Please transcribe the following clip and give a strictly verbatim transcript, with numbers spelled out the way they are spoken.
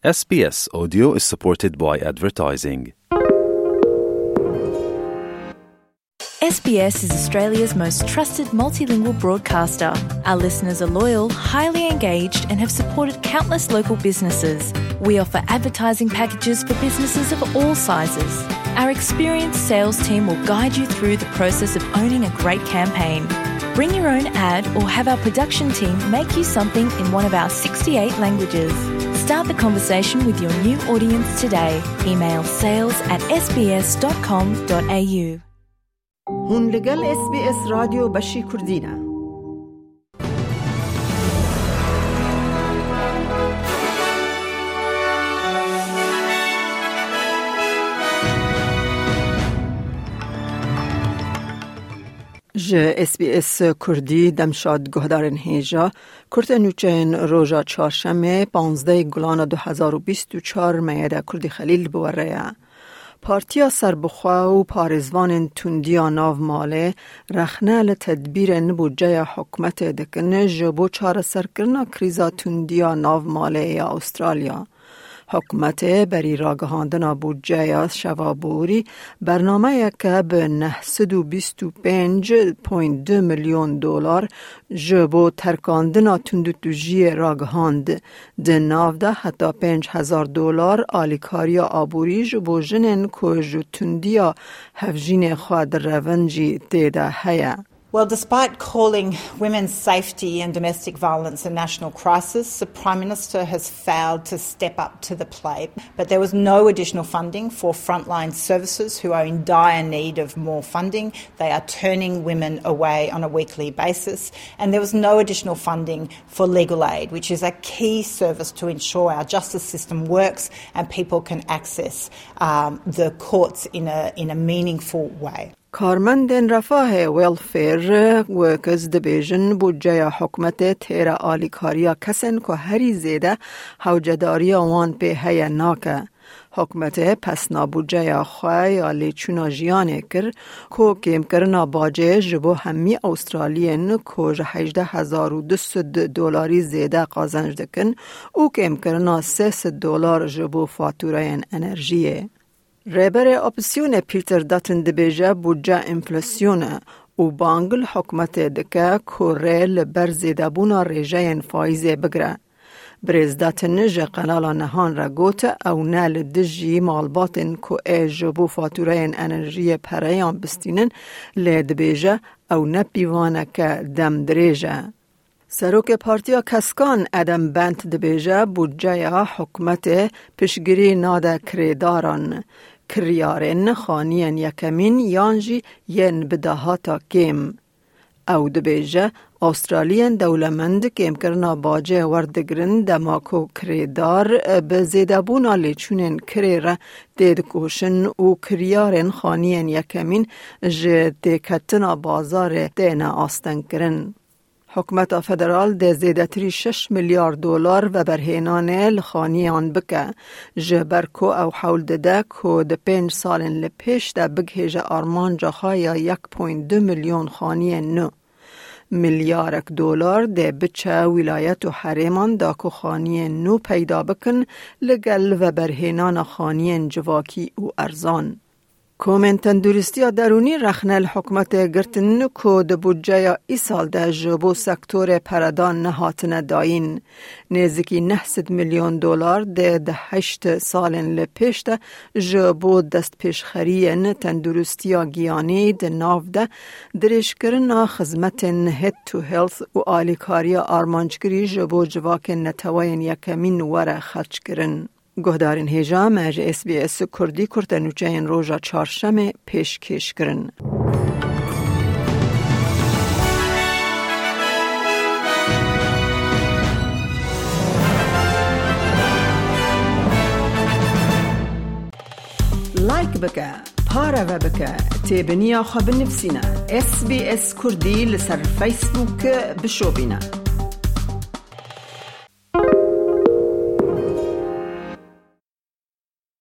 S B S Audio is supported by advertising. S B S is Australia's most trusted multilingual broadcaster. Our listeners are loyal, highly engaged, and have supported countless local businesses. We offer advertising packages for businesses of all sizes. Our experienced sales team will guide you through the process of owning a great campaign. Bring your own ad or have our production team make you something in one of our sixty-eight languages. Start the conversation with your new audience today. Email sales at S B S dot com dot A U. Hûn li gel S B S Radyo Beşî Kurdî ne. Ji S B S Kurdî demşad guhdarên hêja, kurte nûçeyên roja çarşemê, panzdeh Gulana du hezar û bîst û çar meyede Kurdî Xelîl bi we re ye. Partiya Serbixwe û parêzvanên tundiya nav malê rexne li tedbîrên budceya hikûmetê dikin ji bo çareserkirina krîza tundiya nav malê ya Astralya. Hikûmetê berî ragihandina budceya şeva borî bernameyeke bi neh sed û bîst û pênc point du milyon dolar ji bo terkandina tundutûjiyê ragihand. Di nav de heta pênc hezar dolar alîkariya aborî ji bo jinên ku ji tundiya hevjînê xwe direvin jî tê de heye. Well, despite calling women's safety and domestic violence a national crisis, the Prime Minister has failed to step up to the plate. But there was no additional funding for frontline services who are in dire need of more funding. They are turning women away on a weekly basis. And there was no additional funding for legal aid, which is a key service to ensure our justice system works and people can access, um, the courts in a, in a meaningful way. Karmendên refahê welfare workers dibêjin, budceya hikûmetê têra alîkariya kesên ku herî zêde hewcedariya wan pê heye nake. Hikûmetê pesna budceya xwe ya lêçûna jiyanê kir, ku kêmkirina bacê ji bo hemî Awstraliyên ku ji hejdeh hezar û du sed dolarî zêde qazenc dikin û kêmkirina sê sed dolar ji bo fatûreyên enerjiyê. Rêberê Opozîsyonê Peter Dutton dibêje budce enflasyon e û bang li hikûmetê dike ku rê li ber zêdebûna rêjeyên faîzê bigire. Birêz Dutton ji Qenala Nehan re got, ew ne li dijî malbatên ku ê ji bo fatûreyên enerjiyê pereyan bistînin, lê dibêje ew ne pîvaneke dem dirêj e. Serokê Partiya Keskan Adam Bent dibêje, budceya hikûmetê piştgirî nade kirêdaran, kiryarên xaniyên yekemîn yan jî yên bi dahata kêm. Ew dibêje, Awstraliyên dewlemend kêmkirina bacê werdigrin, dema ku kirêdar bi zêdebûna lêçûnên kirê re têdikoşin û kiryarên xaniyên yekemîn ji têketina bazarê têne astengkirin. Hikûmeta federal dê zêdetirî şeş milyar dolar veberhênanê li xaniyan bike, ji ber ku ew hewl dide ku di pênc salên li pêş de bigihêje armanca xwe ya yek point du milyon xaniyên nû. Milyarek dolar dê biçe wîlayet û herêman da ku xaniyên nû peyda bikin, li gel veberhênana xaniyên civakî û erzan. Komên tenduristiya derûnî rexne li hikûmetê girtin ku di budceya îsal de ji bo sektorê peredan nehatine dayîn. Nêzîkî neh sed milyon dolar dê di heşt salên li pêş de ji bo destpêşxeriyên tenduristiya giyanî di nav de dirêjkirina xizmetên Head to Health û alîkariya armanckirî ji bo civakên neteweyên yekemîn were xerckirin. Guhdarên hêja, me ji S B S Kurdî kurtenûçeyên roja çarşemê pêşkêş kirin. Like bike, pareve bike, têbiniya xwe binivîsîne. S B S Kurdî li ser Facebook bişopîne.